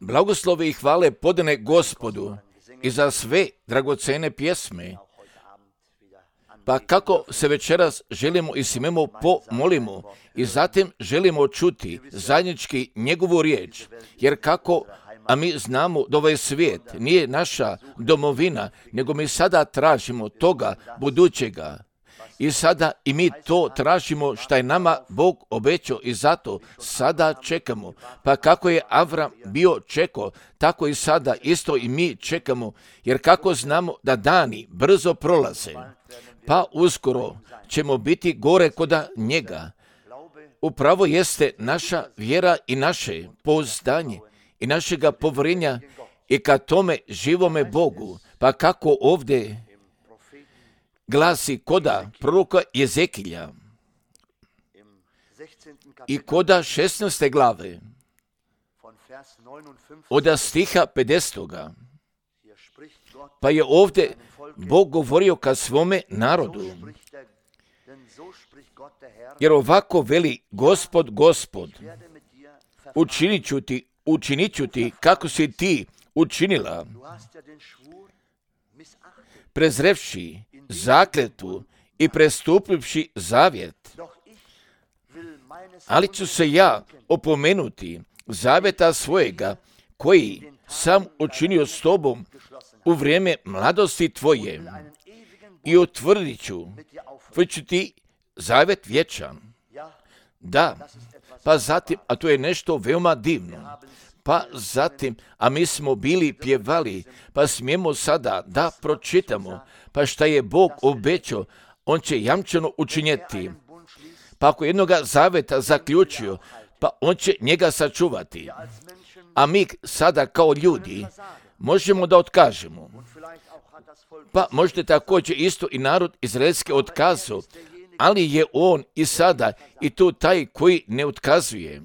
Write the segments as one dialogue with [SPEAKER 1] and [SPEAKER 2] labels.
[SPEAKER 1] Blagoslove i hvale podane Gospodu i za sve dragocene pjesme. Pa kako se večeras želimo i smemo pomolimo i zatim želimo čuti zajednički njegovu riječ, jer kako, a mi znamo da ovaj svijet nije naša domovina, nego mi sada tražimo toga budućega. I sada i mi to tražimo što je nama Bog obećao i zato sada čekamo. Pa kako je Avram bio čekao, tako i sada isto i mi čekamo, jer kako znamo da dani brzo prolaze, pa uskoro ćemo biti gore koda njega. Upravo jeste naša vjera i naše pouzdanje i našega povjerenja i ka tome živome Bogu. Pa kako ovdje glasi koda proroka Jezekilja i koda 16. glave od stiha 50. Pa je ovdje Bog govorio ka svome narodu. Jer ovako veli Gospod, učinit ću ti kako si ti učinila, prezrevši zakletvu i prestupivši zavjet. Ali ću se ja opomenuti zavjeta svojega koji sam učinio s tobom u vrijeme mladosti tvoje i utvrdit ću ti zavjet vječan. Da, pa zatim, a to je nešto veoma divno, pa zatim, a mi smo bili pjevali, pa smijemo sada da pročitamo, pa šta je Bog obećao, on će jamčeno učinjeti. Pa ako jednoga zaveta zaključio, pa on će njega sačuvati. A mi sada kao ljudi možemo da otkažemo. Pa možete također isto i narod izraelski otkazao, ali je on i sada i tu taj koji ne otkazuje.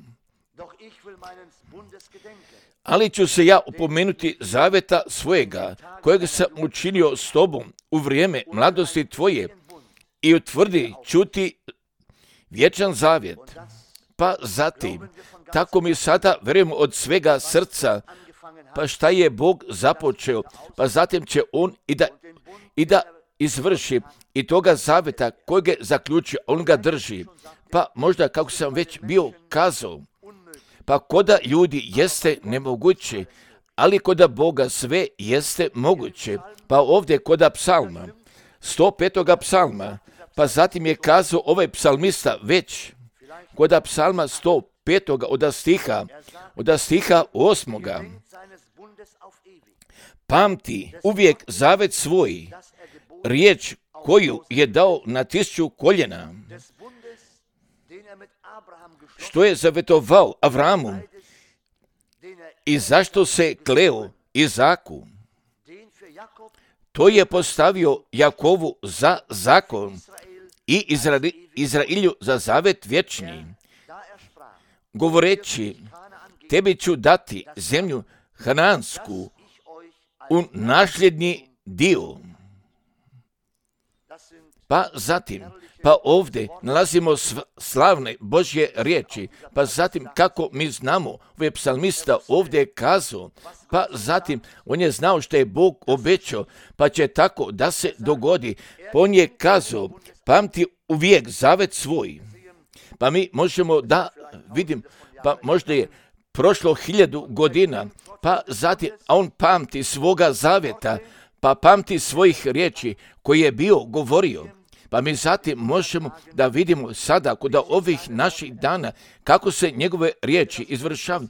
[SPEAKER 1] Ali ću se ja opomenuti zaveta svojega, kojeg sam učinio s tobom u vrijeme mladosti tvoje i utvrdi čuti vječan zavjet. Pa zatim, tako mi sada vjerujemo od svega srca, pa šta je Bog započeo, pa zatim će on i da izvrši i toga zaveta kojeg je zaključio, on ga drži. Pa možda, kako sam već bio kazao, pa koda ljudi jeste nemoguće, ali koda Boga sve jeste moguće. Pa ovdje koda psalma, 105. psalma, pa zatim je kazao ovaj psalmista već, koda psalma 105. od stiha 8. Pamti uvijek zavet svoj, riječ koju je dao na 1000 koljena, što je zavetovao Avramu i zašto se kleo Izaku. To je postavio Jakovu za zakon i Izrailju za zavet vječni, govoreći, tebi ću dati zemlju Hanansku u nasljedni dio. Pa zatim, pa ovdje nalazimo slavne Božje riječi, pa zatim kako mi znamo, ovaj psalmista ovdje je kazao, pa zatim on je znao što je Bog obećao, pa će tako da se dogodi. Pa on je kazao, pamti uvijek zavet svoj. Pa mi možemo da vidim, pa možda je prošlo 1000 godina, pa zatim, a on pamti svoga zavjeta, pa pamti svojih riječi koje je bio govorio. Pa mi zatim možemo da vidimo sada kod ovih naših dana kako se njegove riječi izvršavaju.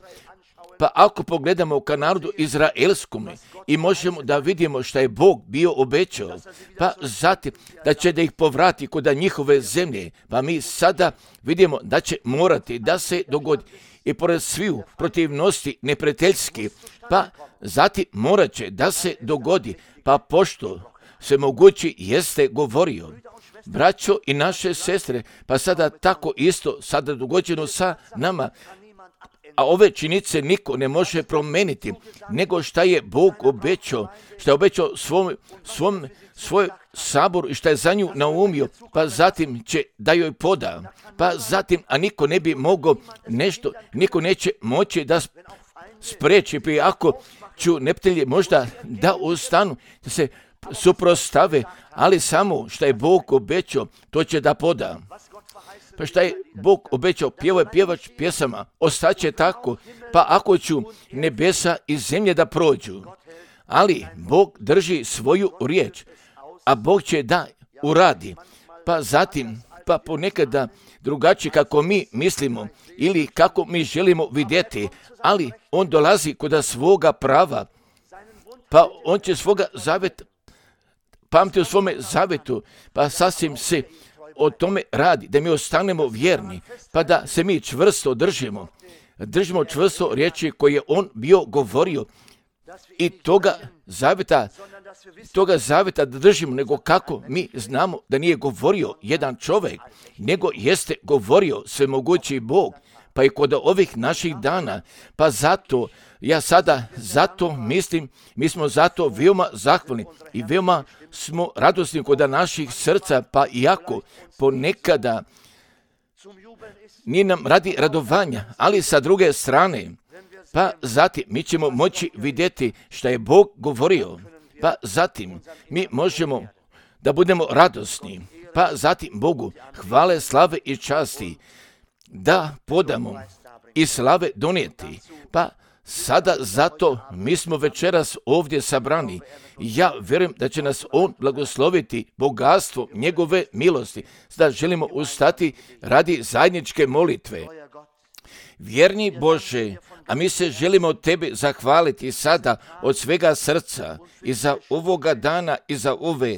[SPEAKER 1] Pa ako pogledamo ka narodu izraelskome i možemo da vidimo što je Bog bio obećao, pa zatim da će da ih povrati kod njihove zemlje, pa mi sada vidimo da će morati da se dogodi i pored sviju protivnosti neprijateljski, pa zatim morat će da se dogodi, pa pošto se mogući jeste govorio. Braćo i naše sestre, pa sada tako isto, sada dogođeno sa nama, a ove činjenice niko ne može promeniti, nego šta je Bog obećao, šta je obećao svoj sabor i šta je za nju naumio, pa zatim će da joj poda, pa zatim, a niko ne bi mogao nešto, niko neće moći da spreči, pa ako ću neprijatelji možda da ustanu, da se suprotstave, ali samo šta je Bog obećao, to će da poda. Pa šta je Bog obećao, pjevač pjesama, ostaće tako, pa ako ću nebesa i zemlje da prođu, ali Bog drži svoju riječ, a Bog će da uradi, pa zatim, pa ponekada drugačije kako mi mislimo ili kako mi želimo vidjeti, ali on dolazi kod svoga prava, pa on će svoga zaveta pamti u svome zavetu, pa sasvim se o tome radi, da mi ostanemo vjerni, pa da se mi čvrsto držimo čvrsto riječi koje je on bio govorio i toga zaveta da držimo, nego kako mi znamo da nije govorio jedan čovjek, nego jeste govorio svemogući Bog, pa i kod ovih naših dana, pa zato ja sada mislim, mi smo zato veoma zahvalni i veoma smo radosni kod naših srca, pa iako ponekada nije nam radi radovanja, ali sa druge strane, pa zatim mi ćemo moći vidjeti šta je Bog govorio, pa zatim mi možemo da budemo radosni, pa zatim Bogu hvale, slave i časti da podamo i slave donijeti, pa sada zato mi smo večeras ovdje sabrani. Ja vjerujem da će nas on blagosloviti bogatstvo njegove milosti. Sada želimo ustati radi zajedničke molitve. Vjerni Bože, a mi se želimo tebi zahvaliti sada od svega srca i za ovoga dana i za ove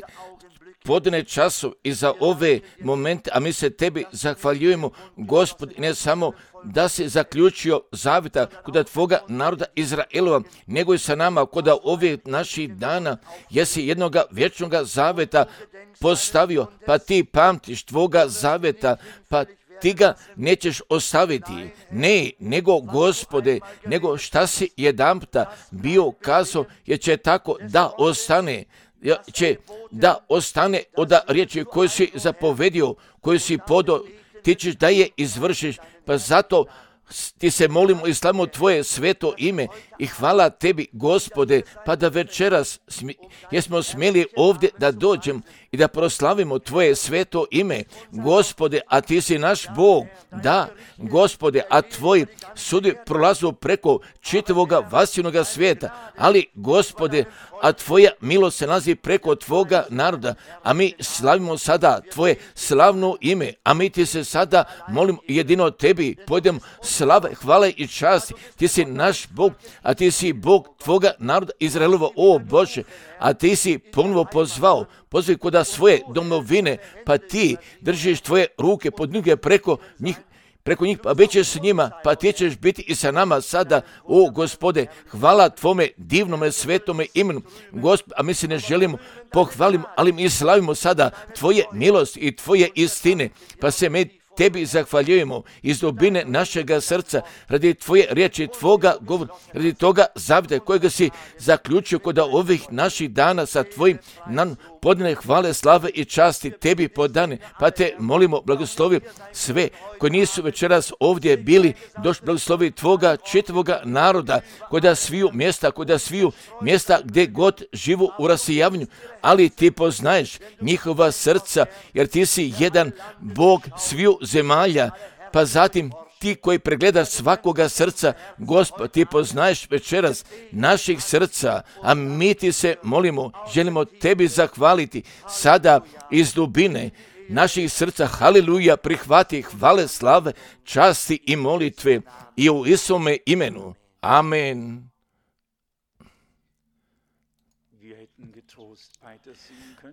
[SPEAKER 1] podne času i za ove momente, a mi se tebi zahvaljujemo, Gospod, ne samo da si zaključio zaveta kod tvoga naroda Izraelova, nego i sa nama kod ovih naših dana, jesi jednoga vječnoga zaveta postavio, pa ti pamtiš tvoga zaveta, pa ti ga nećeš ostaviti. Ne, nego Gospode, nego šta si jedanputa bio kazao, jer će tako da ostane od riječi koju si zapovedio, koju si podao, ti ćeš da je izvršiš, pa zato ti se molimo i slavimo tvoje sveto ime i hvala tebi, Gospode, pa da večeras jesmo smjeli ovdje da dođem i da proslavimo tvoje sveto ime. Gospode, a ti si naš Bog, da, Gospode, a tvoji sudi prolazu preko čitavoga vasinoga svijeta, ali Gospode, a tvoja milost se nalazi preko tvoga naroda, a mi slavimo sada tvoje slavno ime, a mi ti se sada molimo jedino tebi, pojdemo slave, hvale i časti, ti si naš Bog, a ti si Bog tvoga naroda Izraelova, o Bože, a ti si ponovo pozvao kod svoje domovine, pa ti držiš tvoje ruke pod noge preko njih, pa bit ćeš s njima, pa ti ćeš biti i sa nama sada, o Gospode, hvala tvome divnome svetome imenu, Gospod, a mi se ne želimo pohvalimo, ali mi slavimo sada tvoje milosti i tvoje istine, pa se mi tebi zahvaljujemo iz dubine našega srca radi tvoje riječi, tvoga govora, radi toga zavjeta kojega si zaključio kod ovih naših dana sa tvojim nam podane hvale, slave i časti tebi podane, pa te molimo, blagoslovi sve koji nisu večeras ovdje bili, došli, blagoslovi tvoga čitavoga naroda, kod sviju mjesta gdje god živu u rasijavanju, ali ti poznaješ njihova srca, jer ti si jedan Bog sviju zemalja, pa zatim ti koji pregledaš svakoga srca, Gospod, ti poznaješ večeras naših srca, a mi ti se molimo, želimo tebi zahvaliti sada iz dubine naših srca, haleluja, prihvati hvale, slave, časti i molitve i u Isuse imenu. Amen.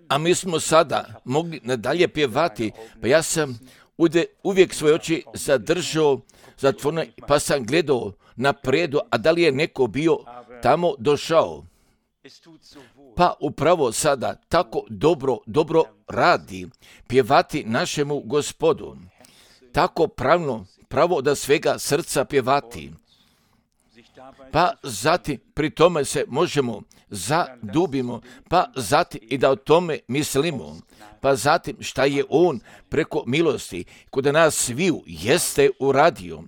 [SPEAKER 1] A mi smo sada mogli nadalje pjevati, pa ja sam uvijek svoje oči zadržao zatvorene, pa sam gledao napredu, a da li je neko bio tamo došao. Pa upravo sada tako dobro radi pjevati našemu Gospodu. Tako pravno pravo da svega srca pjevati. Pa zatim pri tome se možemo zadubimo, pa zatim i da o tome mislimo. Pa zatim šta je on preko milosti kod nas sviju jeste uradio,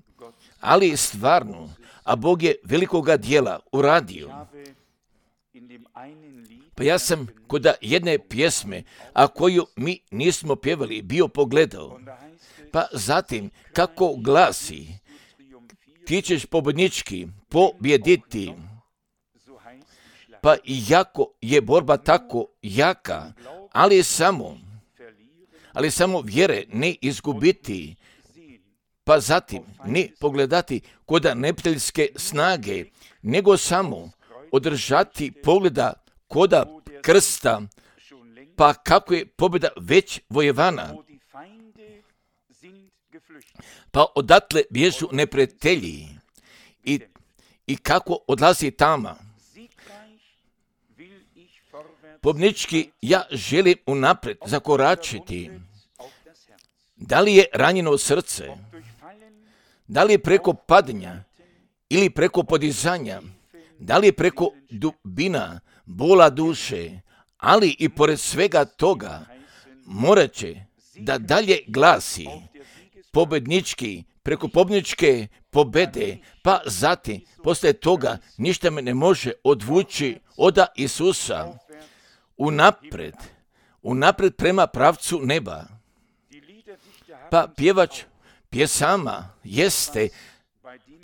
[SPEAKER 1] ali stvarno, a Bog je velikoga dijela uradio. Pa ja sam kod jedne pjesme, a koju mi nismo pjevali, bio pogledao. Pa zatim, kako glasi, ti ćeš pobjednički pobjediti. Pa iako je borba tako jaka, ali samo vjere ne izgubiti. Pa zatim ne pogledati kod neprijateljske snage, nego samo održati pogleda koda krsta, pa kako je pobjeda već vojevana. Pa odatle bježu neprijatelji i kako odlazi tama. Pobjednički ja želim unaprijed zakoračiti. Da li je ranjeno srce? Da li je preko padanja ili preko podizanja? Da li je preko dubina bola duše? Ali i pored svega toga morat će da dalje glasi pobjednički, preko pobjedničke pobjede, pa zatim poslije toga ništa me ne može odvući od Isusa unaprijed prema pravcu neba. Pa pjevač pjesama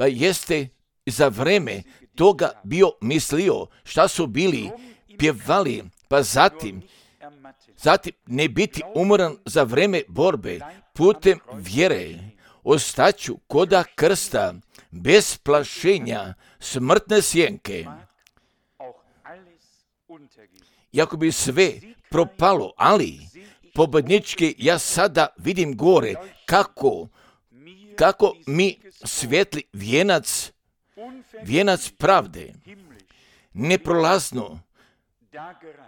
[SPEAKER 1] jeste za vreme toga bio mislio šta su bili pjevali, pa zatim ne biti umoran za vreme borbe putem vjere. Ostaću koda krsta bez plašenja smrtne sjenke. Iako bi sve propalo, ali pobjednički ja sada vidim gore kako mi svijetli vijenac pravde, neprolazno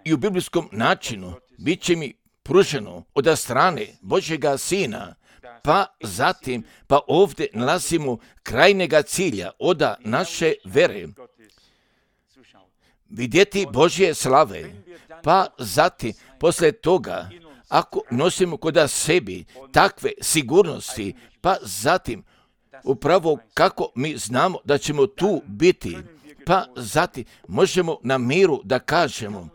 [SPEAKER 1] i u biblijskom načinu bit će mi pruženo od strane Božjega Sina, pa zatim, pa ovdje nalazimo krajnjega cilja od naše vere. Vidjeti Božje slave, pa zatim, poslije toga, ako nosimo kod sebi takve sigurnosti, pa zatim, upravo kako mi znamo da ćemo tu biti, pa zatim možemo na miru da kažemo,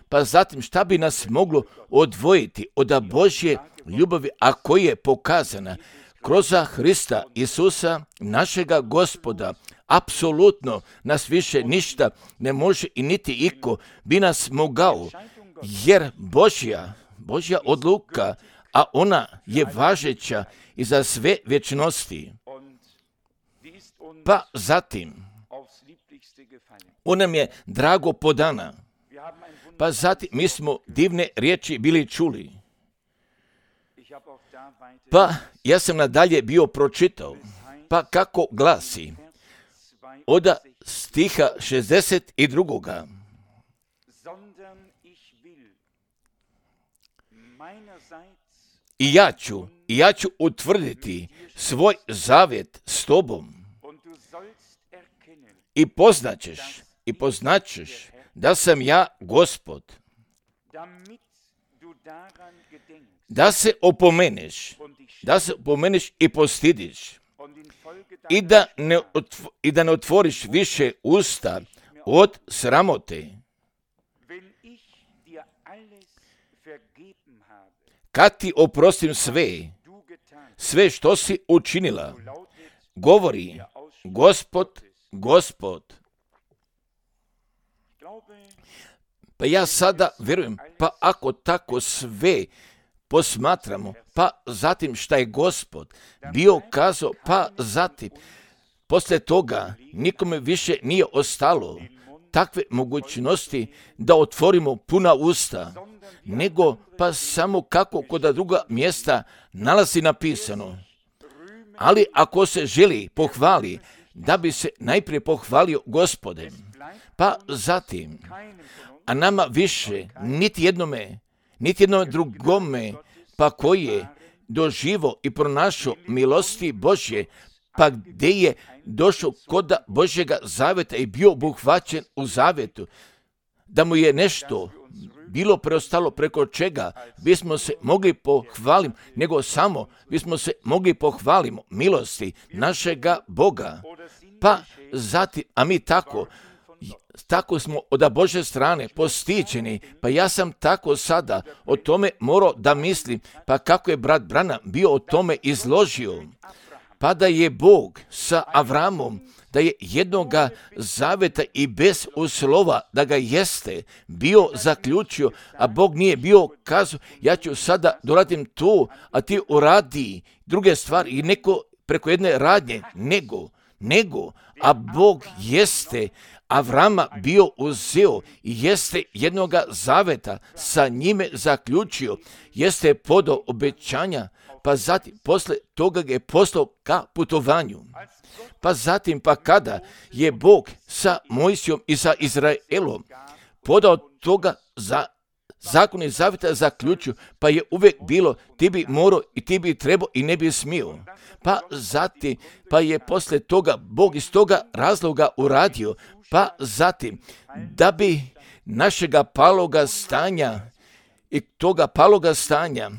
[SPEAKER 1] pa zatim šta bi nas moglo odvojiti od Božje ljubavi, a koja je pokazana kroz Hrista Isusa, našega Gospoda. Apsolutno nas više ništa ne može i niti iko bi nas mogao, jer Božja odluka, a ona je važeća i za sve vječnosti. Pa zatim, ona nam je drago podana. Pa zatim mi smo divne riječi bili čuli. Pa ja sam nadalje bio pročitao. Pa kako glasi? Od stiha 62. I ja ću utvrditi svoj zavjet s tobom. I poznaćeš da sam ja Gospod. Da se opomeneš i postidiš. I da ne otvoriš više usta od sramote. Kad ti oprostim sve što si učinila, govori Gospod. Pa ja sada vjerujem, pa ako tako sve posmatramo, pa zatim šta je Gospod bio kazao, pa zatim poslije toga nikome više nije ostalo takve mogućnosti da otvorimo puna usta, nego pa samo kako kod druga mjesta nalazi napisano. Ali ako se želi pohvali, da bi se najprije pohvalio Gospodem, pa zatim, a nama više niti jednome drugome, pa koji je doživo i pronašao milosti Božje, pa gdje je došao kod Božjega zaveta i bio obuhvaćen u zavetu, da mu je nešto bilo preostalo preko čega bismo se mogli pohvaliti, nego samo bismo se mogli pohvaliti milosti našega Boga. Pa zatim, a mi tako smo od Božje strane postiđeni, pa ja sam tako sada o tome morao da mislim, pa kako je brat Branham bio o tome izložio, pa da je Bog sa Avramom, da je jednoga zaveta i bez uslova da ga jeste bio zaključio, a Bog nije bio kazao, ja ću sada doradim to, a ti uradi druge stvari i neko preko jedne radnje, nego, a Bog jeste Avrama bio uzeo i jeste jednoga zaveta sa njime zaključio, jeste podao obećanja, pa zatim posle toga ga je poslao ka putovanju. Pa zatim, pa kada je Bog sa Mojsijom i sa Izraelom podao toga za zakon i zaveta zaključio, pa je uvijek bilo ti bi morao i ti bi trebao i ne bi smio. Pa zatim, pa je posle toga Bog iz toga razloga uradio, pa zatim da bi našega paloga stanja i toga paloga stanja,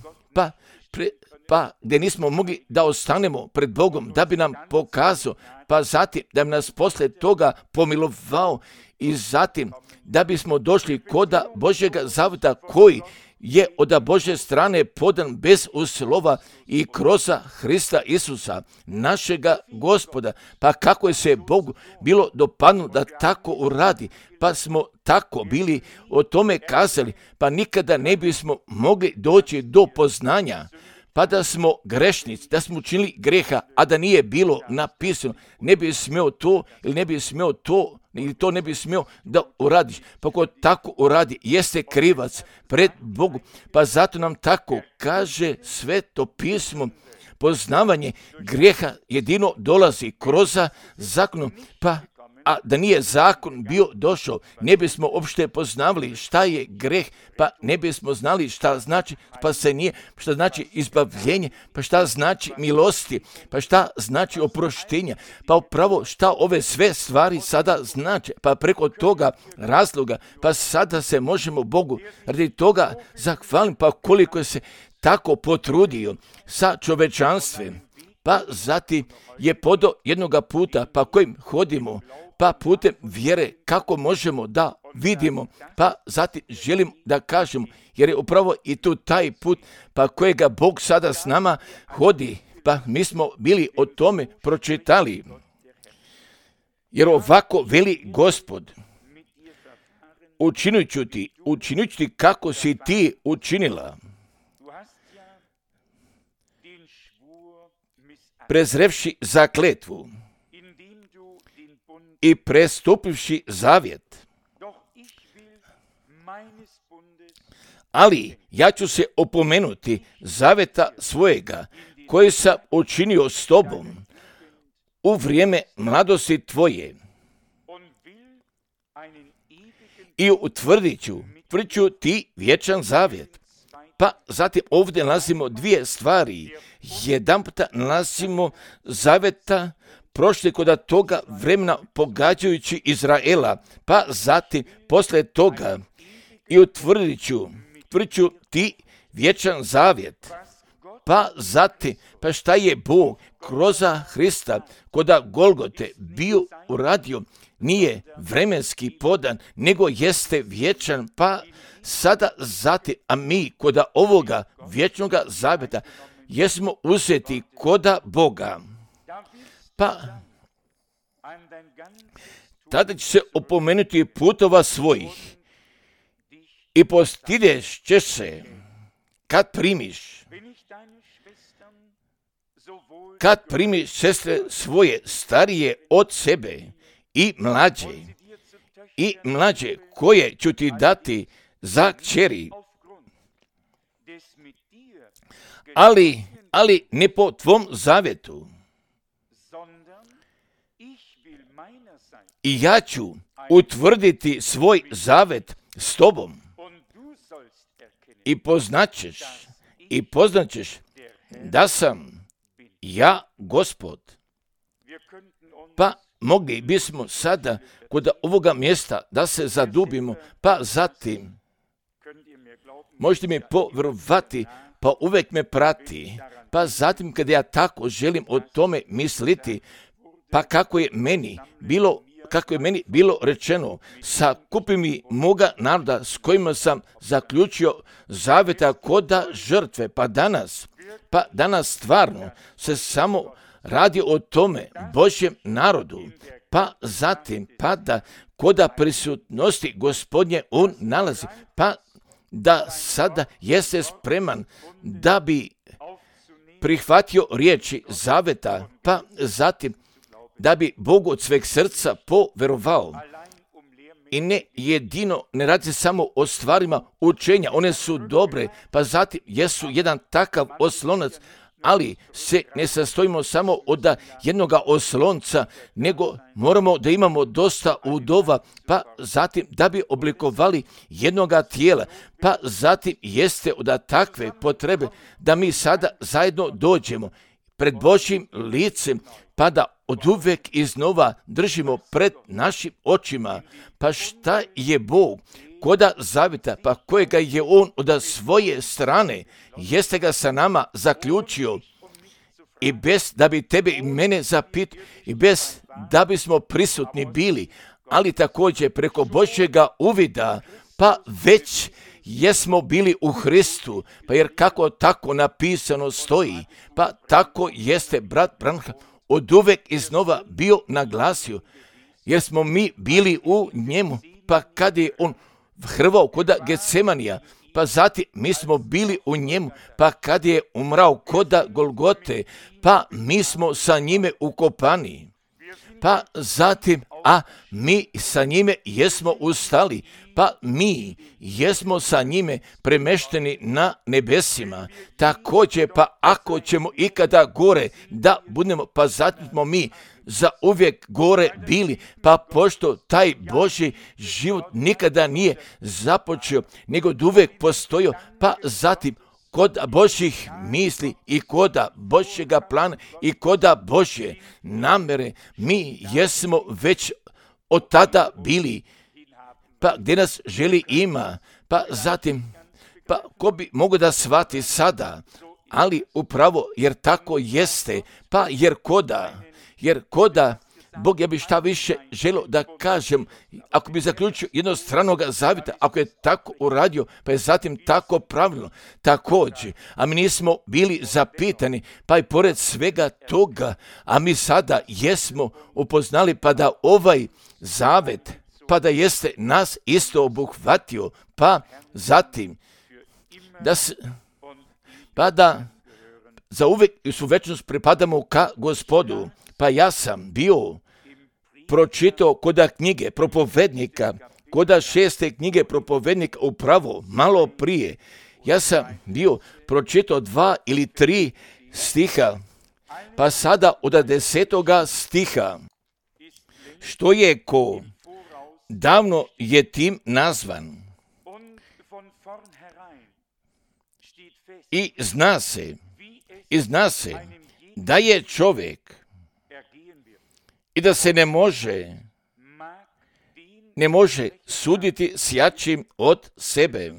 [SPEAKER 1] pa gdje nismo mogli da ostanemo pred Bogom, da bi nam pokazao, pa zatim da bi nas posle toga pomilovao i zatim da bismo došli kod Božjega zaveta koji je od Božje strane podan bez uslova i kroz Hrista Isusa, našega Gospoda. Pa kako je se Bogu bilo dopadnulo da tako uradi, pa smo tako bili o tome kazali, pa nikada ne bismo mogli doći do poznanja, pa da smo grešnici, da smo učinili greha, a da nije bilo napisano, ne bi smio to ili ne bi smio to, ili to ne bi smio da uradiš. Pa ko tako uradi, jeste krivac pred Bogom. Pa zato nam tako kaže Sveto pismo, poznavanje grijeha jedino dolazi kroz zakon, pa a da nije zakon bio došao, ne bismo uopšte poznavali šta je greh, pa ne bismo znali šta znači spasenje, šta znači izbavljenje, pa šta znači milosti, pa šta znači oproštenje, pa upravo šta ove sve stvari sada znači, pa preko toga razloga, pa sada se možemo Bogu radi toga zahvaliti, pa koliko se tako potrudio sa čovečanstvem, pa zatim je podao jednoga puta, pa kojim hodimo, pa putem vjere kako možemo da vidimo, pa zatim želim da kažemo, jer je upravo i tu taj put, pa kojega Bog sada s nama hodi, pa mi smo bili o tome pročitali. Jer ovako veli Gospod, učinit ću ti kako si ti učinila, prezrevši zakletvu i prestupivši zavjet. Ali ja ću se opomenuti zaveta svojega koji sam učinio s tobom u vrijeme mladosti tvoje i utvrdit ću ti vječan zavjet. Pa zatim ovdje nalazimo dvije stvari. Jedan puta nalazimo zaveta prošli kod toga vremena pogađajući Izraela, pa zatim posle toga i utvrdit ću ti vječan zavjet. Pa zatim, pa šta je Bog kroz Hrista kod Golgote bio uradio, nije vremenski podan, nego jeste vječan, pa sada zatim, a mi kod ovoga vječnoga zavjeta jesmo uzeti kod Boga. Pa tada će se opomenuti putova svojih i postideš ćeš se kad primiš sestre svoje starije od sebe i mlađe koje ću ti dati za kćeri, ali ne po tvom zavjetu. I ja ću utvrditi svoj zavet s tobom i poznaćeš da sam ja Gospod. Pa mogli bismo sada kod ovoga mjesta da se zadubimo, pa zatim, možete mi povjerovati, pa uvijek me prati, pa zatim kada ja tako želim o tome misliti, pa kako je meni bilo rečeno, sakupi mi moga naroda s kojima sam zaključio zaveta koda žrtve, pa danas stvarno se samo radi o tome Božjem narodu, pa zatim da koda prisutnosti Gospodnje on nalazi, pa da sada jeste spreman da bi prihvatio riječi zaveta, pa zatim da bi Bogu od sveg srca poverovao. I ne jedino, ne radi se samo o stvarima učenja, one su dobre, pa zatim jesu jedan takav oslonac, ali se ne sastojimo samo od jednoga oslonca, nego moramo da imamo dosta udova, pa zatim da bi oblikovali jednoga tijela, pa zatim jeste od takve potrebe da mi sada zajedno dođemo pred Božjim licem, pa da oduvek iznova držimo pred našim očima, pa šta je Bog koda zaveta, pa kojega je on od svoje strane, jeste ga sa nama zaključio, i bez da bi tebe i mene zapitao, i bez da bismo prisutni bili, ali također preko Božjega uvida, pa već jesmo bili u Hristu, pa jer kako tako napisano stoji, pa tako jeste brat Branham oduvek iznova bio naglasio, jer smo mi bili u njemu, pa kad je on hrvao koda Getsemanija, pa zatim mi smo bili u njemu, pa kad je umrao koda Golgote, pa mi smo sa njime ukopani, pa zatim, a mi sa njime jesmo ustali, pa mi jesmo sa njime premešteni na nebesima. Također, pa ako ćemo ikada gore da budemo, pa zatim smo mi za uvijek gore bili, pa pošto taj Božji život nikada nije započeo, nego uvijek postojao, pa zatim kod Božjih misli i koda Božjega plana i koda Božje namere, mi jesmo već od tada bili, pa gdje nas želi ima, pa zatim, pa ko bi mogao da shvati sada, ali upravo jer tako jeste, pa jer koda, Bog, ja bi šta više želio da kažem, ako bi zaključio jednostranog zavjeta, ako je tako uradio, pa je zatim tako pravilno, također, a mi nismo bili zapitani, pa i pored svega toga, a mi sada jesmo upoznali, pa da ovaj zavet, pa da jeste nas isto obuhvatio, pa zatim, pa da za uvijek i u večnost pripadamo ka Gospodu. Pa ja sam bio pročitao koda knjige propovednika, koda 6. knjige propovednika upravo malo prije. Ja sam bio pročitao 2 ili 3 stiha, pa sada od 10. stiha, što je ko davno je tim nazvan i zna se da je čovjek i da se ne može suditi s jačim od sebe.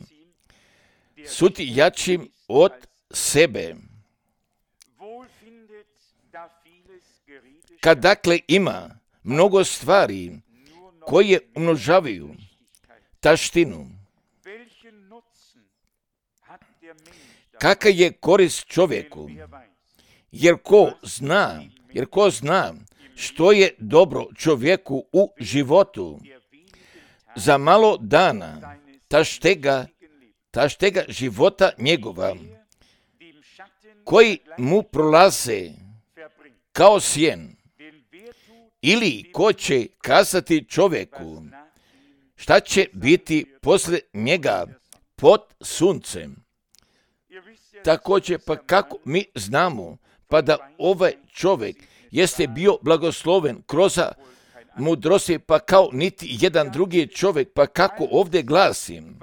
[SPEAKER 1] Suditi jačim od sebe. Kad dakle ima mnogo stvari koje umnožavaju taštinu, kakva je korist čovjeku, jer ko zna što je dobro čovjeku u životu, za malo dana ta štega života njegova, koji mu prolaze kao sjen, ili ko će kazati čovjeku šta će biti poslije njega pod suncem. Također, pa kako mi znamo, pa da ovaj čovjek jeste bio blagosloven kroz mudrosti, pa kao niti jedan drugi čovjek, pa kako ovdje glasim,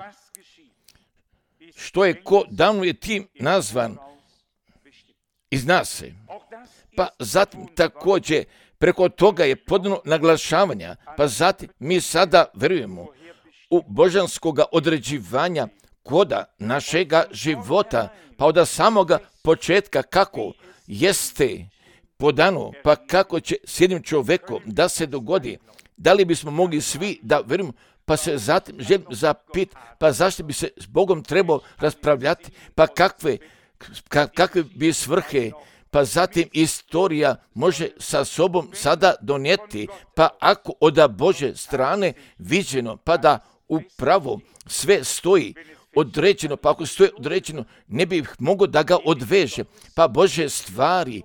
[SPEAKER 1] što je ko davno je tim nazvan, iz nas. Pa zatim također preko toga je podano naglašavanja, pa zatim mi sada vjerujemo u božanskoga određivanja koda našega života, pa od samoga početka kako jeste podano, pa kako će s jednim čovjekom da se dogodi, da li bismo mogli svi da vjerujemo, pa se zatim želim zapit, pa zašto bi se s Bogom trebao raspravljati, pa kakve bi svrhe, pa zatim istorija može sa sobom sada donijeti, pa ako od Božje strane viđeno, pa da upravo sve stoji određeno, pa ako stoji određeno, ne bi mogao da ga odveže, pa Božje stvari,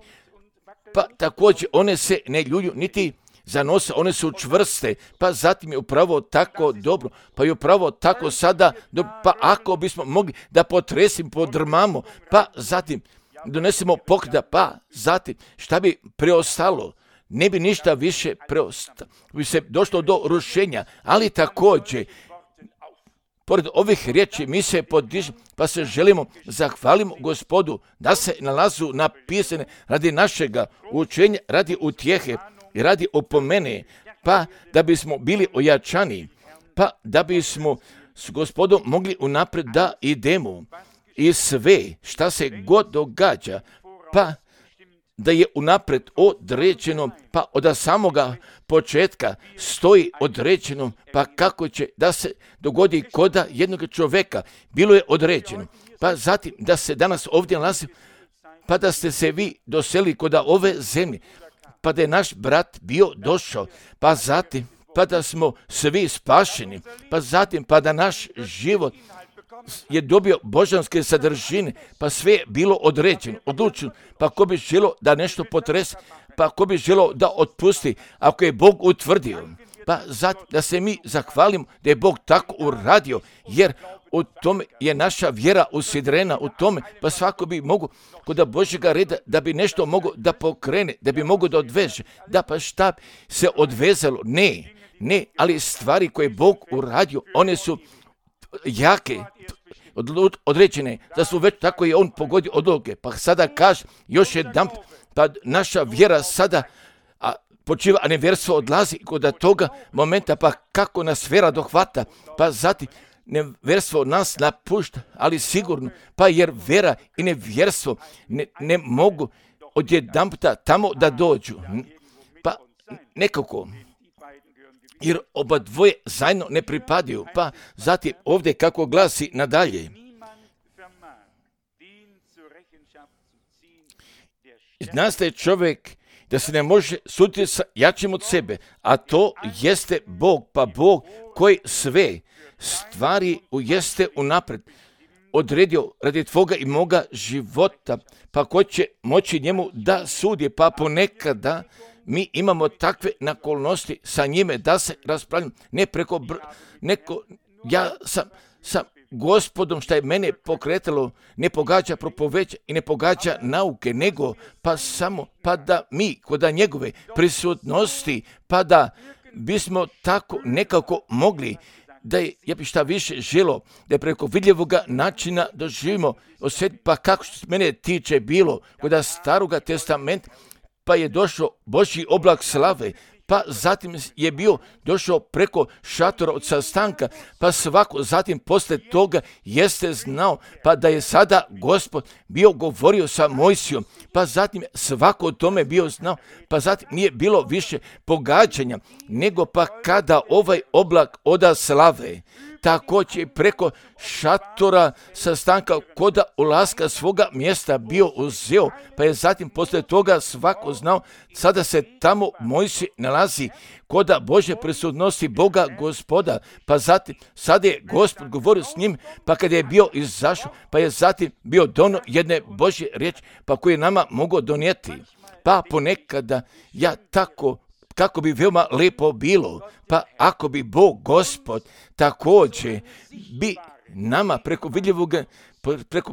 [SPEAKER 1] pa također one se ne ljulju, niti zanose, one su čvrste, pa zatim je upravo tako dobro, pa je upravo tako sada, pa ako bismo mogli da potresim, podrmamo, pa zatim donesemo pokrda, pa zatim šta bi preostalo? Ne bi ništa više preostalo, bi se došlo do rušenja, ali također, pored ovih riječi mi se podižemo, pa se želimo, zahvalimo Gospodu da se nalazu napisane radi našega učenja, radi utjehe i radi opomene, pa da bismo bili ojačani, pa da bismo s Gospodom mogli unaprijed da idemo i sve šta se god događa, pa da je unaprijed određeno, pa od samoga početka stoji određeno, pa kako će da se dogodi koda jednog čovjeka, bilo je određeno. Pa zatim da se danas ovdje nalazi, pa da ste se vi doseli koda ove zemlje, pa da je naš brat bio došao, pa zatim pa da smo svi spašeni, pa zatim pa da naš život je dobio božanske sadržine, pa sve je bilo određeno, odlučeno, pa ko bi želio da nešto potrese, pa ko bi želio da otpusti, ako je Bog utvrdio, pa zatim da se mi zahvalimo da je Bog tako uradio, jer u tome je naša vjera usidrena, u tome, pa svako bi mogo kod Božjega reda da bi nešto mogo da pokrene, da bi mogo da odveže, da pa šta se odvezalo, ne, ali stvari koje je Bog uradio, one su jake, određene, da su već tako je on pogodio odluke, pa sada kaže još jedan, pa naša vjera sada počiva, a nevjerstvo odlazi kod toga momenta, pa kako nas vjera dohvata, pa zatim nevjerstvo nas napušta, ali sigurno, pa jer vjera i nevjerstvo ne mogu odjedanputa tamo da dođu, pa nekako, jer oba dvoje zajedno ne pripadaju, pa zatim ovdje kako glasi nadalje. Znaste čovjek da se ne može suditi sa jačim od sebe, a to jeste Bog, pa Bog koji sve stvari jeste unaprijed odredio radi tvoga i moga života, pa ko će moći njemu da sudi, pa ponekada mi imamo takve nakolnosti sa njime da se raspravljamo, ne preko ja sam Gospodom šta je mene pokretalo, ne pogađa propoveća i ne pogađa nauke, nego pa samo pa da mi kod njegove prisutnosti, pa da bismo tako nekako mogli da je, ja bi šta više želo, da je preko vidljivoga načina doživimo osjetiti, pa kako što se mene tiče bilo kod Staroga testamenta, pa je došao Božji oblak slave, pa zatim je bio došao preko šatora od sastanka, pa svako zatim poslije toga jeste znao, pa da je sada Gospod bio govorio sa Mojsijom, pa zatim svako o tome bio znao, pa zatim nije bilo više pogađanja, nego pa kada ovaj oblak oda slave, također preko šatora sastanka koda ulaska svoga mjesta bio uzeo, pa je zatim poslije toga svako znao, sada se tamo Mojsij nalazi koda Božje prisutnosti Boga Gospoda, pa zatim sada je Gospod govorio s njim, pa kad je bio izašao, pa je zatim bio dono jedne Božje riječi, pa koje nama mogu donijeti. Pa ponekada ja tako kako bi veoma lepo bilo, pa ako bi Bog Gospod također bi nama preko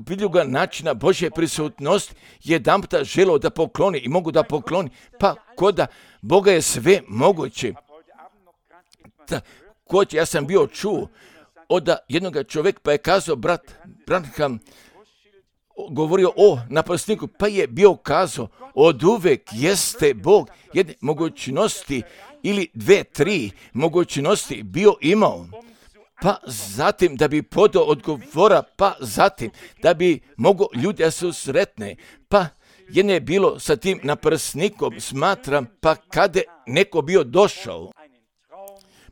[SPEAKER 1] vidljivog načina Božje prisutnosti jedanputa želio da pokloni i mogu da pokloni, pa koda Boga je sve moguće. Također ja sam bio čuo od jednog čovjeka, pa je kazao brat Branham, govorio o napasniku, pa je bio kazao, od uvek jeste Bog jedne mogućnosti ili 2, 3 mogućnosti bio imao. Pa zatim da bi podao odgovora, pa zatim da bi mogo ljudi da se sretne, pa jedne je bilo sa tim naprsnikom, smatram, pa kada neko bio došao,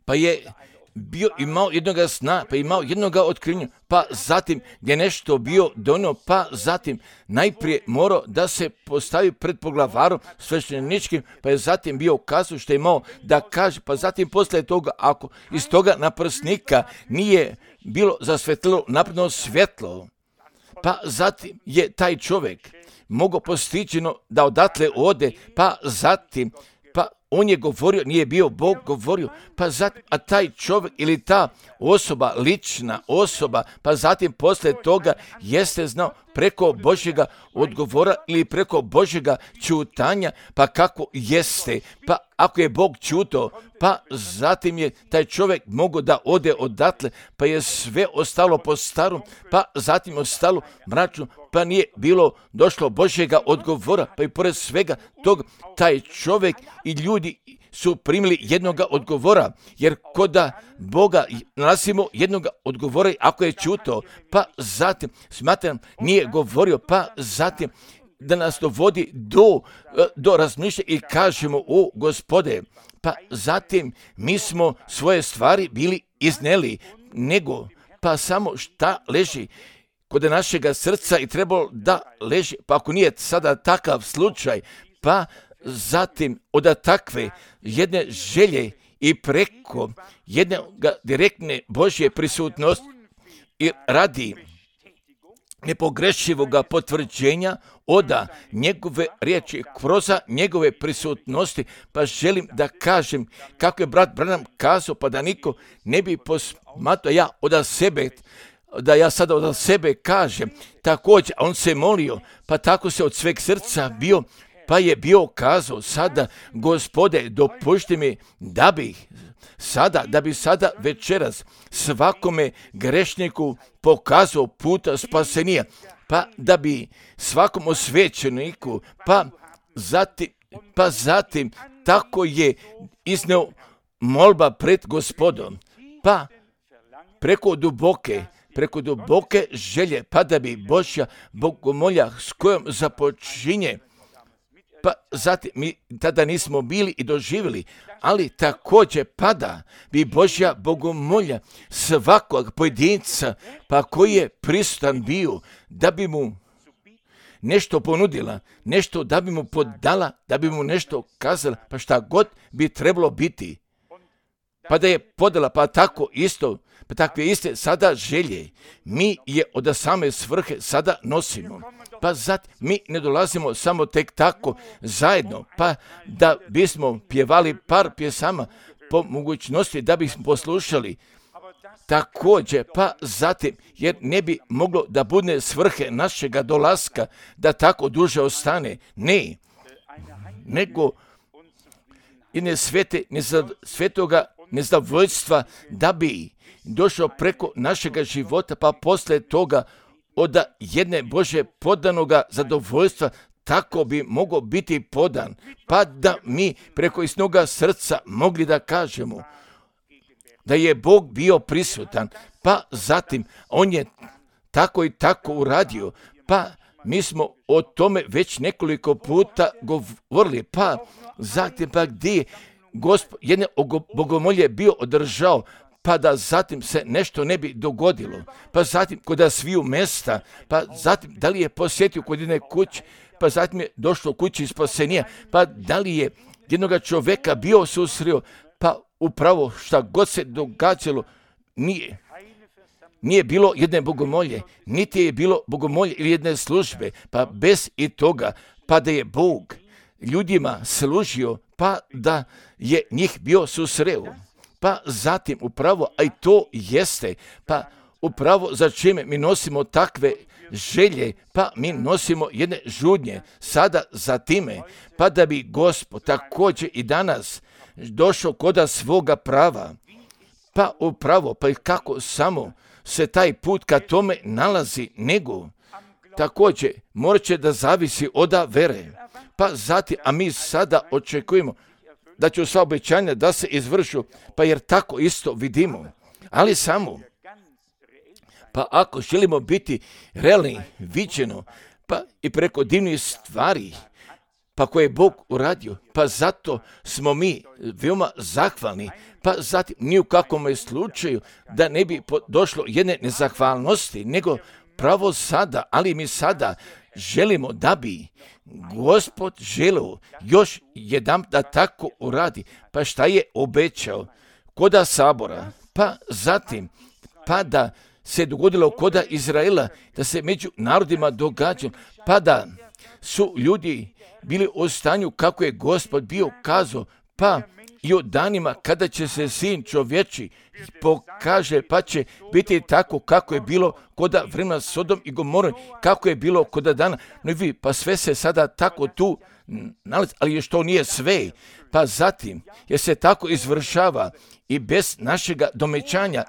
[SPEAKER 1] pa je bio imao jednoga sna, pa imao jednoga otkrivenja, pa zatim je nešto bio donio, pa zatim najprije morao da se postavi pred poglavarom svešteničkim, pa je zatim bio kazao što je imao da kaže, pa zatim posle toga, ako iz toga naprsnika nije bilo zasvetlilo napredno svjetlo, pa zatim je taj čovjek mogao postiđeno da odatle ode, pa zatim, pa on je govorio, nije bio Bog govorio, pa zatim, a taj čovjek ili ta osoba, lična osoba, pa zatim posle toga jeste znao preko Božjega odgovora ili preko Božjega čutanja, pa kako jeste, pa ako je Bog čuto, pa zatim je taj čovjek mogao da ode odatle, pa je sve ostalo po starom, pa zatim ostalo mračno, pa nije bilo došlo Božjega odgovora, pa i pored svega tog, taj čovjek i ljudi su primili jednoga odgovora, jer koda Boga nalazimo jednoga odgovora ako je čuto, pa zatim, smatram, nije govorio, pa zatim da nas dovodi do razmišljanja i kažemo, o Gospode, pa zatim mi smo svoje stvari bili izneli, nego pa samo šta leži kod našega srca i trebalo da leži, pa ako nije sada takav slučaj, pa zatim od takve jedne želje i preko jedne direktne Božje prisutnosti i radi nepogrešivoga potvrđenja oda njegove riječi kroz njegove prisutnosti, pa želim da kažem kako je brat Branham kazao, pa da niko ne bi posmatrao da ja sada od sebe kažem, također on se molio, pa tako se od sveg srca bio, pa je bio kazao, sada Gospode dopušti mi da bi sada večeras svakome grešniku pokazao puta spasenija, pa da bi svakom osvećeniku, pa zatim tako je izneo molba pred Gospodom, pa preko duboke želje, pa da bi Božja bogomolja s kojom započinje, pa zatim mi tada nismo bili i doživjeli, ali također pada bi Božja bogomolja svakog pojedinca, pa koji je prisutan bio, da bi mu nešto ponudila, nešto da bi mu podala, da bi mu nešto kazala, pa šta god bi trebalo biti, pa da je podala, pa tako isto, pa takve iste sada želje, mi je od same svrhe sada nosimo. Pa zatim mi ne dolazimo samo tek tako zajedno, pa da bismo pjevali par pjesama po mogućnosti da bismo poslušali. Također, pa zatim, jer ne bi moglo da bude svrhe našega dolaska da tako duže ostane. Ne, nego jedne svetoga nezadovoljstva da bi došao preko našega života, pa posle toga od jedne Bože podanoga zadovoljstva tako bi mogao biti podan, pa da mi preko isnoga srca mogli da kažemo da je Bog bio prisutan, pa zatim on je tako i tako uradio, pa mi smo o tome već nekoliko puta govorili, pa zatim pa gdje Gospod jedne bogomolje bio održao, pa da zatim se nešto ne bi dogodilo, pa zatim kod sviju mesta, pa zatim da li je posjetio kod jedne kuće, pa zatim je došlo kući spasenija, pa da li je jednoga čovjeka bio susrio, pa upravo šta god se događalo, nije bilo jedne bogomolje, niti je bilo bogomolje ili jedne službe, pa bez i toga, pa da je Bog ljudima služio, pa da je njih bio susreo. Pa zatim upravo, a i to jeste, pa upravo za čime mi nosimo takve želje, pa mi nosimo jedne žudnje sada za time, pa da bi Gospod također i danas došao koda svoga prava, pa upravo, pa i kako samo se taj put ka tome nalazi, nego također morat će da zavisi od vere. Pa zatim, a mi sada očekujemo da će sva obećanja da se izvršu, pa jer tako isto vidimo. Ali samo, pa ako želimo biti realni, viđeno, pa i preko divnih stvari, pa koje je Bog uradio, pa zato smo mi veoma zahvalni, pa zatim ni u kakvom slučaju da ne bi došlo jedne nezahvalnosti, nego pravo sada, ali mi sada želimo da bi Gospod želeo još jedan da tako uradi, pa šta je obećao koda sabora, pa zatim, pa da se dogodilo koda Izraela, da se među narodima događa, pa da su ljudi bili u stanju kako je Gospod bio kazao, pa i o danima kada će se sin čovječi pokaže, pa će biti tako kako je bilo koda vremena Sodom i Gomore, kako je bilo koda dana. No i vi, pa sve se sada tako tu nalazi, ali još to nije sve. Pa zatim, jer se tako izvršava i bez našega domećanja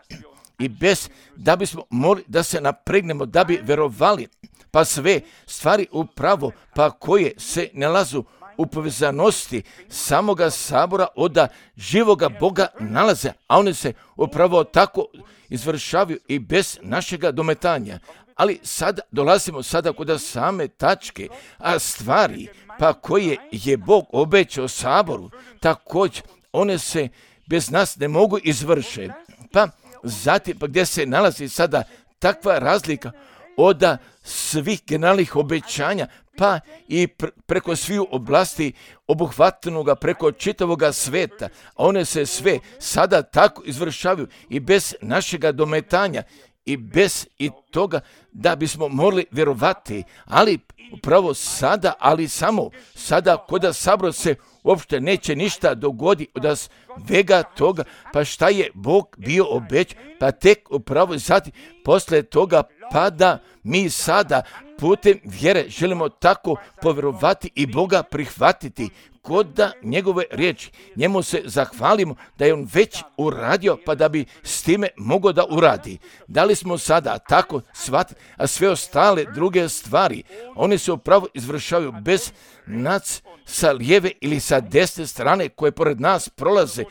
[SPEAKER 1] i bez da bismo morali da se napregnemo, da bi verovali, pa sve stvari upravo, pa koje se nalazu u povezanosti samoga sabora od živoga Boga nalaze, a one se upravo tako izvršavaju i bez našega dometanja. Ali sada dolazimo sada kod same tačke, a stvari pa koje je Bog obećao saboru, također one se bez nas ne mogu izvršiti. Pa zatim, pa gdje se nalazi sada takva razlika od svih generalnih obećanja, pa i preko svih oblasti obuhvatnoga preko čitavoga sveta, a one se sve sada tako izvršavaju i bez našega dometanja i bez i toga da bismo morali vjerovati, ali upravo sada, ali samo sada kod sabora se uopšte neće ništa dogoditi od svega toga, pa šta je Bog bio obećao, pa tek upravo zati posle toga pa da mi sada putem vjere želimo tako povjerovati i Boga prihvatiti kod njegove riječi. Njemu se zahvalimo da je on već uradio, pa da bi s time mogao da uradi. Da li smo sada tako shvatili, a sve ostale druge stvari, one se upravo izvršavaju bez nas sa lijeve ili sa desne strane koje pored nas prolaze,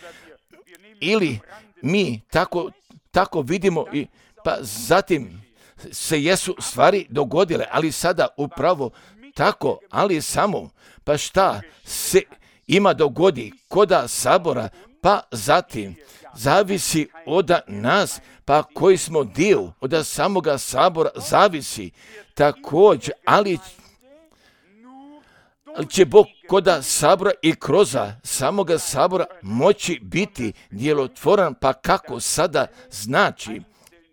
[SPEAKER 1] ili mi tako vidimo i pa zatim se jesu stvari dogodile, ali sada upravo tako, ali samo, pa šta se ima dogodi koda sabora, pa zatim zavisi od nas, pa koji smo dio od samoga sabora zavisi također, ali će Bog koda sabora i kroz samoga sabora moći biti djelotvoran, pa kako sada znači,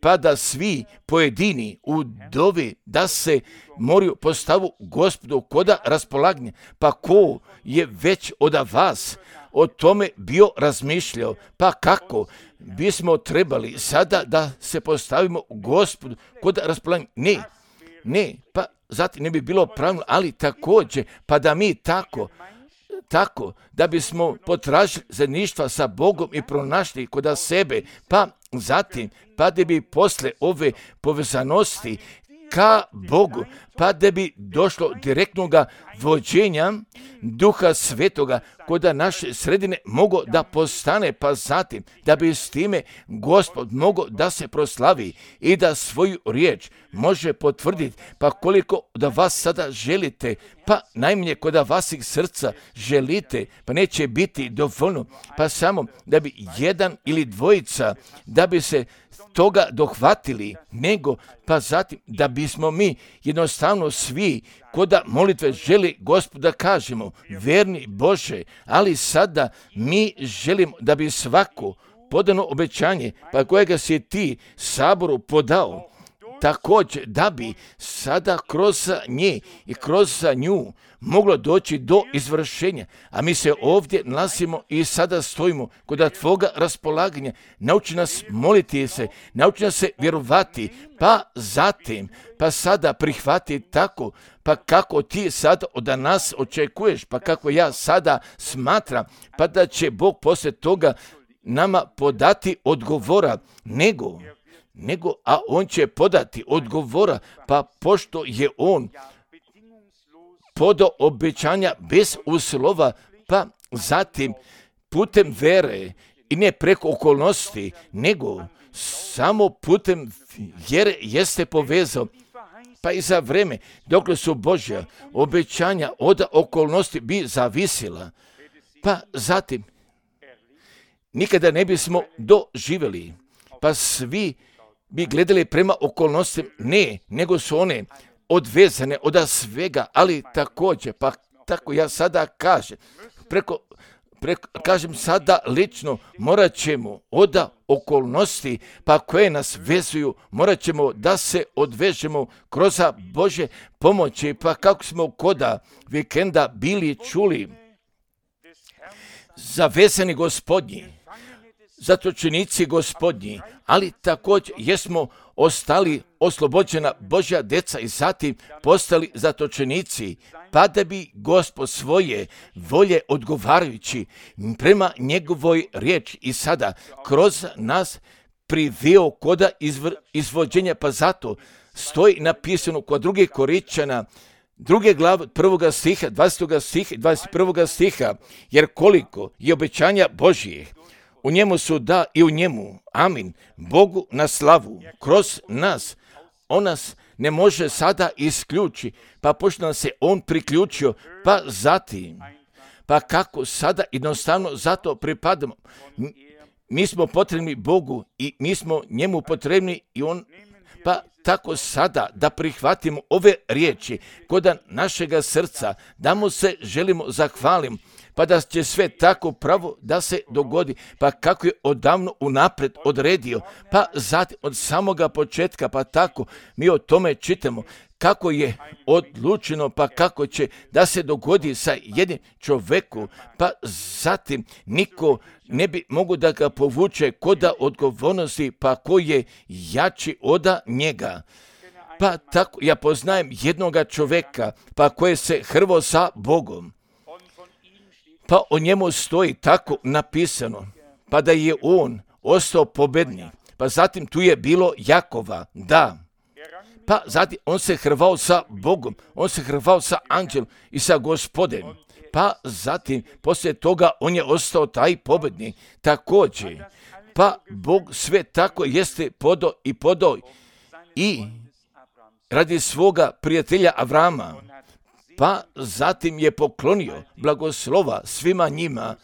[SPEAKER 1] pa da svi pojedini u dovi da se moraju postavu Gospodu koda raspolaganja, pa ko je već od vas o tome bio razmišljao, pa kako bismo trebali sada da se postavimo Gospodu koda raspolaganja, ne, pa zatim ne bi bilo pravilno, ali također, pa da mi tako, da bismo potražili zajedništva sa Bogom i pronašli kod sebe, pa zatim, pa da bi posle ove povezanosti ka Bogu, pa da bi došlo direktnog vođenja Duha Svetoga kod naše sredine mogo da postane, pa zatim da bi s time Gospod mogo da se proslavi i da svoju riječ može potvrditi, pa koliko da vas sada želite, pa najmanje kod vasih srca želite, pa neće biti dovoljno, pa samo da bi jedan ili dvojica da bi se toga dohvatili, nego pa zatim da bismo mi jednostavno svi koda molitve želi Gospoda kažemo, verni Bože, ali sada mi želimo da bi svako podano obećanje, pa kojega si ti saboru podao, također da bi sada kroz nje i kroz nju moglo doći do izvršenja. A mi se ovdje nalazimo i sada stojimo kod tvoga raspolaganja. Nauči nas moliti se, nauči nas se vjerovati, pa zatim, pa sada prihvati tako, pa kako ti sada od nas očekuješ, pa kako ja sada smatram, pa da će Bog poslije toga nama podati odgovora, nego a on će podati odgovora, pa pošto je on podao obećanja bez uslova, pa zatim putem vere i ne preko okolnosti, nego samo putem vjere jeste povezao, pa i za vreme dokle su Božja obećanja od okolnosti bi zavisila, pa zatim nikada ne bismo doživjeli, pa svi bi gledali prema okolnostima, ne, nego su one odvezane od svega, ali također, pa tako ja sada kažem, kažem sada lično, morat ćemo od okolnosti, pa koje nas vezuju, morat ćemo da se odvežemo kroz Božje pomoći, pa kako smo koda vikenda bili čuli, zavezani Gospodnji, zatočenici Gospodnji, ali također jesmo ostali oslobođena Božja deca i zatim postali zatočenici, pa da bi Gospod svoje volje odgovarajući prema njegovoj riječi i sada kroz nas priveo koda izvođenja, pa zato stoji napisano kod 2. Korinćana 2. glave 1. stiha, 20. stiha i 21. stiha, jer koliko je obećanja Božjih, u njemu su da i u njemu, amin, Bogu na slavu, kroz nas. On nas ne može sada isključiti, pa pošto nam se on priključio, pa zatim, pa kako sada jednostavno zato pripadamo. Mi smo potrebni Bogu i mi smo njemu potrebni i on, pa tako sada da prihvatimo ove riječi kod našega srca, da mu se želimo zahvalimo, pa da će sve tako pravo da se dogodi, pa kako je odavno unaprijed odredio, pa zatim od samoga početka, pa tako mi o tome čitamo, kako je odlučeno, pa kako će da se dogodi sa jednim čovjeku, pa zatim niko ne bi mogu da ga povuče kod odgovornosti, pa ko je jači od njega. Pa tako ja poznajem jednoga čovjeka, pa koje se hrvo sa Bogom, pa o njemu stoji tako napisano, pa da je on ostao pobednik, pa zatim tu je bilo Jakova, da, pa zatim on se hrvao sa Bogom, on se hrvao sa anđelom i sa Gospodem, pa zatim poslije toga on je ostao taj pobednik također, pa Bog sve tako jeste podao i radi svoga prijatelja Avrama, pa zatim je poklonio blagoslova svima njima,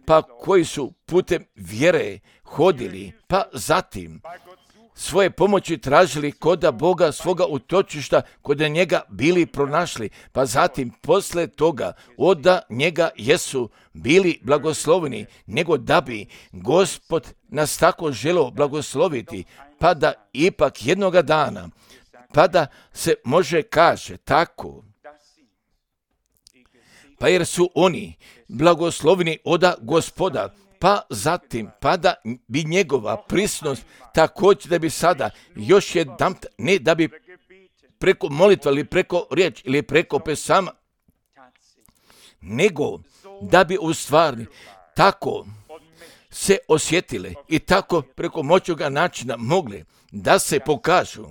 [SPEAKER 1] pa koji su putem vjere hodili, pa zatim svoje pomoći tražili koda Boga svoga utočišta, kod njega bili pronašli, pa zatim posle toga od njega jesu bili blagosloveni, nego da bi Gospod nas tako želeo blagosloviti, pa da ipak jednoga dana, pa da se može kaže tako, pa jer su oni blagosloveni od Gospoda, pa zatim, pa da bi njegova prisnost također da bi sada još jedan, ne da bi preko molitva ili preko riječ ili preko pesama, nego da bi u stvari tako se osjetile i tako preko moćnoga načina mogli da se pokažu.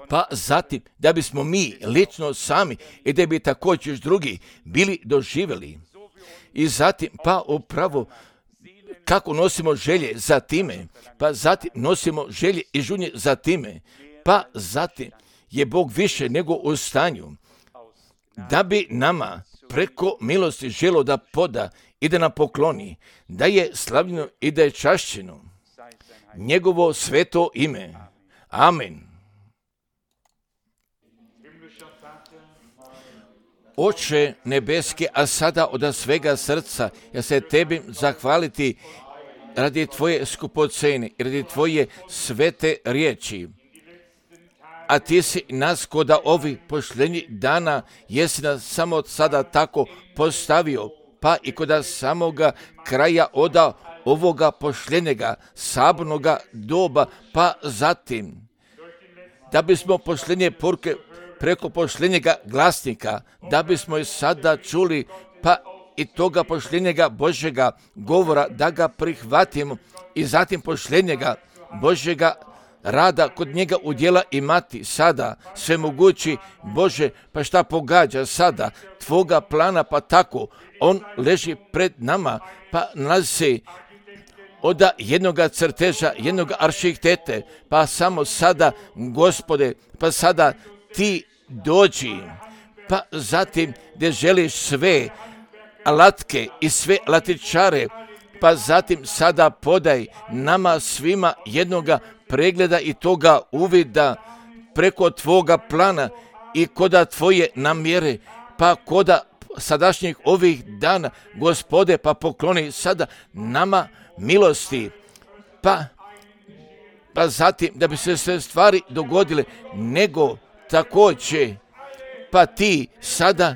[SPEAKER 1] Pa zatim da bismo mi lično sami i da bi također drugi bili doživjeli. I zatim pa upravo kako nosimo želje za time, pa zatim nosimo želje i žunje za time, pa zatim je Bog više nego u stanju da bi nama preko milosti želo da poda i da nam pokloni, da je slavljeno i da je čašćeno njegovo sveto ime. Amen. Oče nebeski, a sada od svega srca ja se tebi zahvaliti radi tvoje skupocene i radi tvoje svete riječi. A ti si nas koda ovi pošljenji dana jesi nas samo sada tako postavio, pa i koda samoga kraja od ovoga pošljenjega sabornoga doba, pa zatim da bismo pošljenje poruke preko pošljenjega glasnika, da bismo i sada čuli, pa i toga pošljenjega Božjega govora, da ga prihvatimo i zatim pošljenjega Božjega rada kod njega udjela imati sada, svemogući Bože, pa šta pogađa sada, tvoga plana, pa tako, on leži pred nama, pa nalazi se od jednoga crteža, jednoga arhitektete, pa samo sada, Gospode, pa sada ti dođi, pa zatim gdje želiš sve alatke i sve alatičare, pa zatim sada podaj nama svima jednoga pregleda i toga uvida preko tvoga plana i koda tvoje namjere, pa koda sadašnjih ovih dana, Gospode, pa pokloni sada nama milosti, pa zatim da bi se sve stvari dogodile, nego također, pa ti sada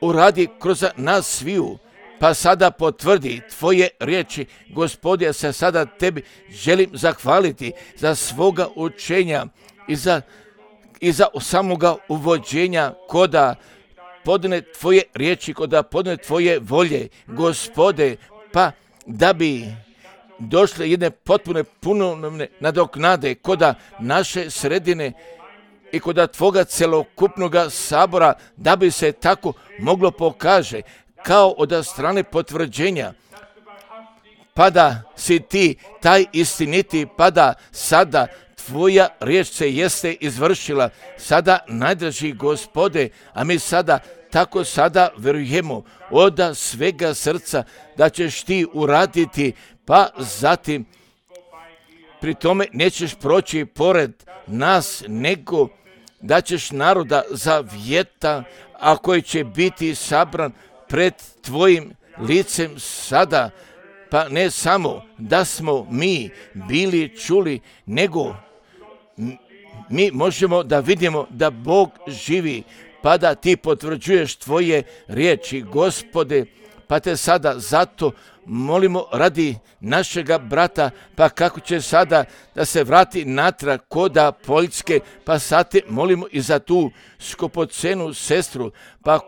[SPEAKER 1] uradi kroz nas sviju, pa sada potvrdi tvoje riječi, Gospode, ja se sada tebi želim zahvaliti za svoga učenja i za samoga uvođenja koda podne tvoje riječi, koda podne tvoje volje, Gospode, pa da bi došle jedne potpune punovne nadoknade koda naše sredine i koda tvoga celokupnoga sabora, da bi se tako moglo pokaže kao od strane potvrđenja, pa da si ti taj istiniti, pa da sada tvoja riječ se jeste izvršila, sada najdraži Gospode, a mi sada tako sada vjerujemo od svega srca da ćeš ti uraditi, pa zatim pri tome nećeš proći pored nas, nego da ćeš naroda zavjeta, a koji će biti sabran pred tvojim licem sada, pa ne samo da smo mi bili čuli, nego mi možemo da vidimo da Bog živi, pa da ti potvrđuješ tvoje riječi, Gospode, pa te sada zato molimo radi našega brata, pa kako će sada da se vrati natrag koda Poljske, pa sad te molimo i za tu skupocenu sestru, pa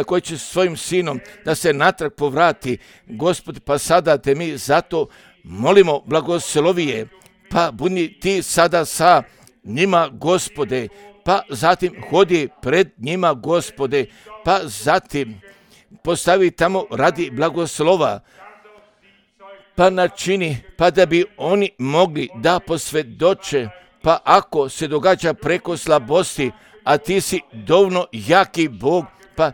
[SPEAKER 1] koji će svojim sinom da se natrag povrati, Gospod, pa sada te mi zato molimo, blagoslovije, pa budi ti sada sa njima, Gospode, pa zatim hodi pred njima, Gospode, pa zatim postavi tamo radi blagoslova, pa načini, pa da bi oni mogli da posvjedoče, pa ako se događa preko slabosti, a ti si dovoljno jaki Bog, pa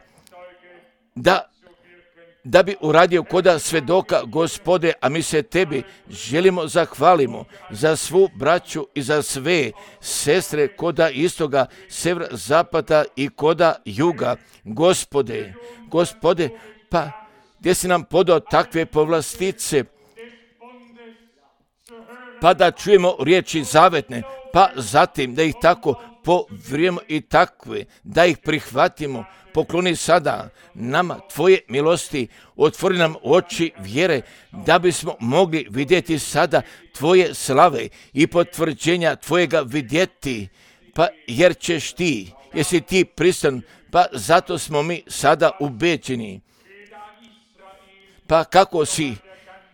[SPEAKER 1] da bi uradio koda svedoka, Gospode, a mi se tebi želimo zahvalimo za svu braću i za sve sestre koda istoga, severa, zapada i koda juga, Gospode, pa gdje si nam podao takve povlastice, pa da čujemo riječi zavetne, pa zatim da ih tako povrijemo i takve, da ih prihvatimo. Pokloni sada nama tvoje milosti, otvori nam oči vjere, da bismo mogli vidjeti sada tvoje slave i potvrđenja tvojega vidjeti, pa jer ćeš ti, jesi ti pristan, pa zato smo mi sada ubeđeni. Pa kako si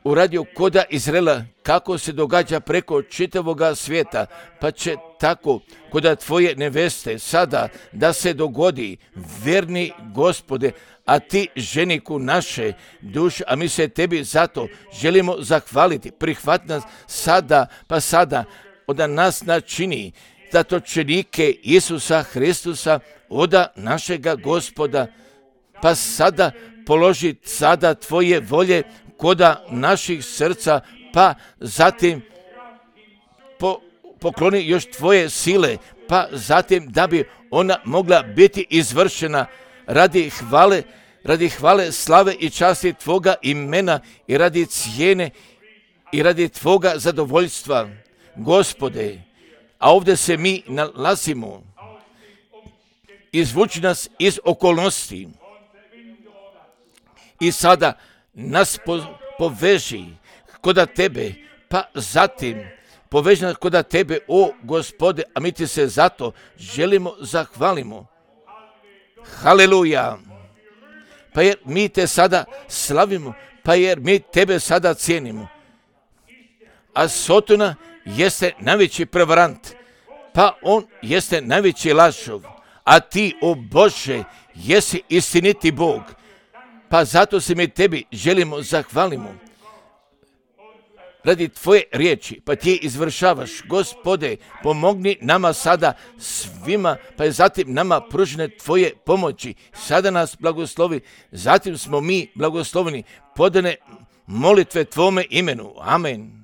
[SPEAKER 1] uradio koda Izraela, kako se događa preko čitavoga svijeta, pa će tako koda tvoje neveste sada da se dogodi, verni Gospode, a ti ženiku naše duše, a mi se tebi zato želimo zahvaliti, prihvati nas sada, pa sada od nas načini zatočenike Isusa Hristusa, od našega Gospoda, pa sada položi sada tvoje volje koda naših srca, pa zatim pokloni još tvoje sile, pa zatim da bi ona mogla biti izvršena radi hvale, slave i časti tvoga imena i radi cijene i radi tvoga zadovoljstva, Gospode. A ovdje se mi nalazimo, izvuči nas iz okolnosti i sada nas poveži koda tebe, pa zatim poveži nas koda tebe, o Gospode, a mi ti se zato želimo zahvalimo. Haleluja! Pa jer mi te sada slavimo, pa jer mi tebe sada cijenimo. A Sotona jeste najveći prevarant, pa on jeste najveći lažov, a ti, o Bože, jesi istiniti Bog. Pa zato se mi tebi želimo zahvalimo radi tvoje riječi, pa ti je izvršavaš. Gospode, pomogni nama sada svima, pa je zatim nama pružene tvoje pomoći. Sada nas blagoslovi, zatim smo mi blagosloveni, podane molitve tvome imenu. Amen.